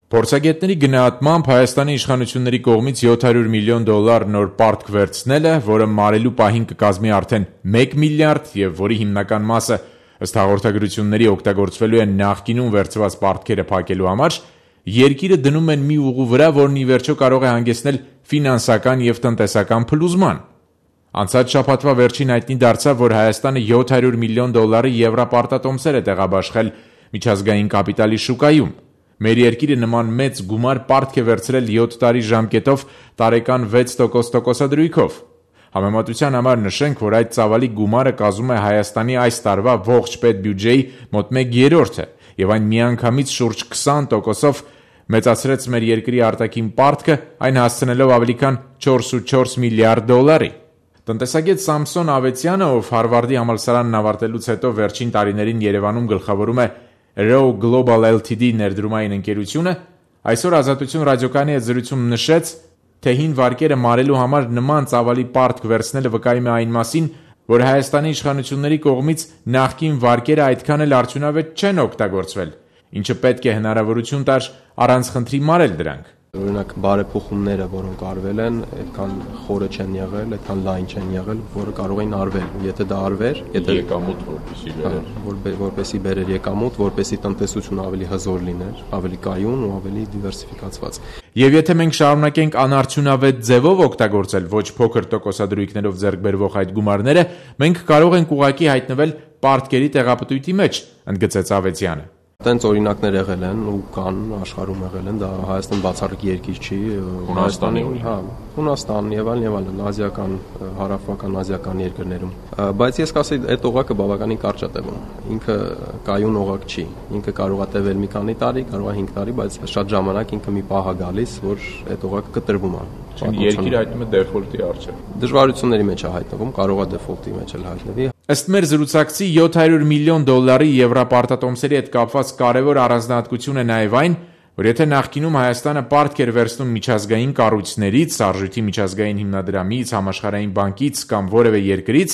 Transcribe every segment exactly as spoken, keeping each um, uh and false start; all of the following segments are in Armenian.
Փորձագետների գնահատմամբ Հայաստանի իշխանությունների կողմից յոթ հարյուր միլիոն դոլար նոր պարտք վերցնելը, որը մարելու պահին կկազմի արդեն մեկ միլիարդ եւ որի հիմնական մասը ըստ հաղորդագրությունների օգտագործվելու է նախկինում վերցված պարտքերը փակելու համար, երկիրը դնում են մի ուղու վրա, որն ի վերջո կարող է հանգեցնել ֆինանսական եւ տնտեսական փլուզման։ Անցած շաբաթվա վերջին հայտնի դարձավ, որ Հայաստանը յոթ հարյուր միլիոն դոլարի եվրապարտատոմսեր է տեղաբաշխել միջազգային կապիտալի շուկայում։ Մեր երկիրը նման մեծ գումար պարտք է վերցրել յոթ տարի ժամկետով տարեկան վեց տոկոս տոկոսադրույքով։ Համեմատության համար նշենք, որ այդ ծավալի գումարը կազմում է Հայաստանի այս տարվա ողջ պետբյուջեի մոտ մեկ երրորդը, եւ այն միանգամից շուրջ քսան տոկոսով մեծացրեց մեր երկրի արտաքին պարտքը, այն հասցնելով ավելի քան չորսունչորս միլիարդ դոլարի։ Տնտեսագետ Սամսոն Ավետյանը, ով Հարվարդի համալսարանն ավարտելուց հետո վերջին տարիներին Երևանում գլխավորում է Row Global Ltd ներդրումային ընկերությունը, այսօր Ազատություն ռադիոկայանի հետ զրույցում նշեց, թե հին վարկերը մարելու համար նման ծավալի պարտք վերցնելը վկայում է այն մասին, որ Հայաստանի իշխանությունների կողմից նախկին վարկերը այդքան էլ արդյունավետ չեն օգտագործվել, ինչը պետք է հնարավորություն տար առանց խնդրի մարել դրանք։ Օրինակ բարեփոխումները, որոնք արվել են, այդքան խորը չեն եղել, այդքան լայն չեն եղել, որը կարող էին արվել։ Եթե դա արվեր, եթե եկամուտ որպեսի բերեր, որպեսի բերեր եկամուտ, որպեսի տնտեսությունը ավելի հզոր լիներ, ավելի կայուն ու ավելի դիվերսիֆիկացված։ Եվ եթե մենք շարունակենք անարդյունավետ ձևով օգտագործել ոչ փոքր տոկոսադրույքներով ձեռք բերվող այդ գումարները, մենք կարող ենք ուղղակի հայտնվել պարտքերի տեղապտույտի մեջ, ընդգծեց Ավետյանը։ Տենց օրինակներ եղել են ու կան աշխարհում եղել են, դա Հայաստան բացառիկ երկիր չի, Հունաստանի, հա, Հունաստան եւ այլն եւ այլն, ազիական, հարավական ազիական երկրներում։ Բայց ես կասեի, այդ օղակը բավականին կարճ է տևում։ Ինքը կայուն օղակ չի։ Ինքը կարող է տևել մի քանի տարի, կարող է հինգ տարի, բայց շատ ժամանակ ինքը մի պահ է գալիս, որ այդ օղակը կտրվում է։ Երկիրը հայտնվում է դեֆոլտի առջև։ Դժվարությունների մեջ է հայտնվում, կարող է դեֆոլտի մեջ էլ հայտնվի։ Ըստ մեր զրուցակցի յոթ հարյուր միլիոն դոլարի եվրապարտատոմսերի հետ կապված կարևոր առանձնահատկություն է նաև այն, որ եթե նախկինում Հայաստանը պարտք էր վերցնում միջազգային կառույցներից, Արժույթի միջազգային հիմնադրամից, Համաշխարհային բանկից կամ որևէ երկրից,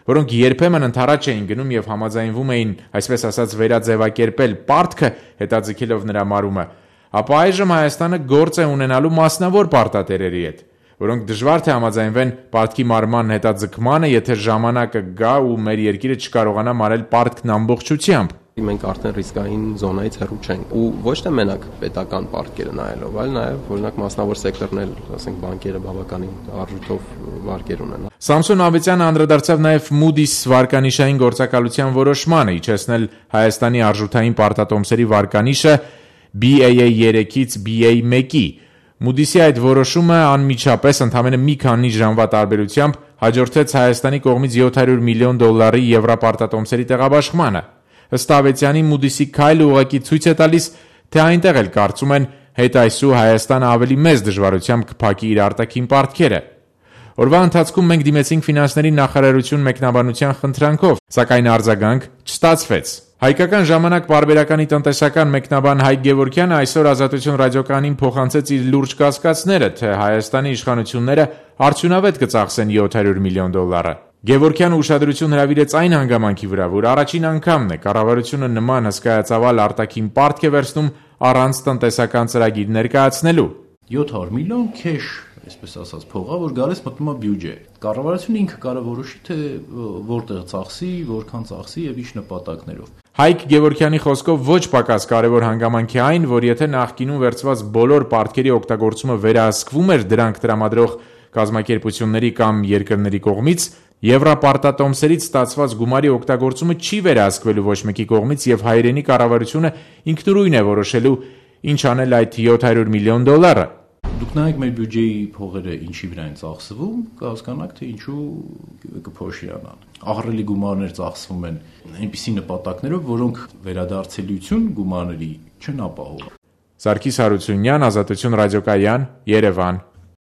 որոնք երբեմն ընդառաջ էին գնում եւ համաձայնվում էին, այսպես ասած, վերաձևակերպել պարտքը, հետաձգելով նրա մարումը, ապա այժմ Հայաստանը գործ է ունենալու մասնավոր պարտատերերի հետ, որոնք դժվար թե համաձայնվեն պարտքի մարման հետաձգմանը, եթե ժամանակը գա ու մեր երկիրը չկարողանա մարել պարտքն ամբողջությամբ։ Մենք արդեն ռիսկային զոնայից հեռու չենք ու ոչ թե մենակ պետական պարտքերը նայելով, այլ նաև օրինակ մասնավոր սեկտորն էլ, ասենք բանկերը բավականին արժույթով վարկեր ունեն։ Սամսոն Ավետյանը անդրադարձավ նաև Moody's վարկանիշային գործակալության որոշմանը, իջեցնել Հայաստանի արժութային պարտատոմսերի վարկանիշը B A A երեքից B A մեկի։ Moody's-ի այդ որոշումը անմիջապես ընդամենը մի քանի ժամվա տարբերությամբ հաջորդեց Հայաստանի կողմից յոթ հարյուր միլիոն դոլարի եվրապարտատոմսերի տեղաբաշխմանը։ Ըստ Ավետյանի, Moody's-ի քայլը ուղղակի ցույց է տալիս, թե այնտեղ էլ կարծում են հետ այսու Հայաստանը ավելի մեծ դժվարությամբ կփակի իր արտաքին պարտքերը։ Օրվա ընթացքում մենք դիմեցինք ֆինանսների նախարարություն մեկնաբանության խնդրանքով, սակայն արձագանք չստացվեց։ Հայկական ժամանակ պարբերականի տնտեսական մեկնաբան Հայկ Գևորգյանը այսօր Ազատություն ռադիոկայանին փոխանցեց իր լուրջ կասկածները, թե Հայաստանի իշխանությունները արդյունավետ կծախսեն յոթ հարյուր միլիոն դոլարը։ Գևորգյանը ուշադրություն հրավիրեց այն հանգամանքի վրա, որ առաջին անգամն է կառավարությունը նման հսկայածավալ արտաքին պարտք է վերցնում առանց տնտեսական ծրագիր ներկայացնելու։ յոթ հարյուր միլիոն քեշ, այսպես ասած, փողա, որ գալիս մտնում է բյուջե։ Կառավարությունը ինքը կարող որոշի, թե որտեղ ծախսի, որքան ծախսի եւ ինչ նպատակներով։ Հայկ Գևորգյանի խոսքով ոչ պակաս կարևոր հանգամանք է այն, որ եթե նախկինում վերցված բոլոր պարտքերի օգտագործումը վերահսկվում էր դրանք տրամադրող կազմակերպությունների կամ երկրների կողմից, եվրապարտատոմսերից ստացված գումարի օգտագործումը չի վերահսկվելու ոչ մեկի կողմից եւ հայրենի կառավարությունը ինքնուրույն է որոշելու ինչ անել այդ յոթ հարյուր միլիոն դոլարը։ Դուք նայեք մեր բյուջեի փողերը ինչի վրա են ծախսվում, կհասկանաք, թե ինչու կփոշիանան։ Ահռելի գումարներ ծախսվում են այնպիսի նպատակներով, որոնք վերադարձելիություն գումարների չեն ապահովում։ Սարգիս Հարությունյան, Ազատություն ռադիոկայան, Երևան։